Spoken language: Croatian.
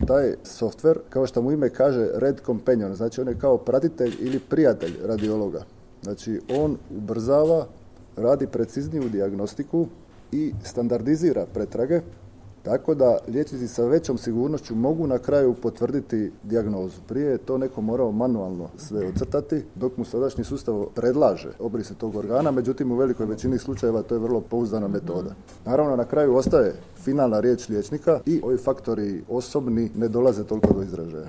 Taj softver, kao što mu ime kaže, Red Companion, znači on je kao pratitelj ili prijatelj radiologa. Znači on ubrzava, radi precizniju dijagnostiku i standardizira pretrage, tako da liječnici sa većom sigurnošću mogu na kraju potvrditi dijagnozu. Prije je to neko morao manualno sve ocrtati, dok mu sadašnji sustav predlaže obrise tog organa, međutim u velikoj većini slučajeva to je vrlo pouzdana metoda. Naravno, na kraju ostaje finalna riječ liječnika i ovi faktori osobni ne dolaze toliko do izražaja.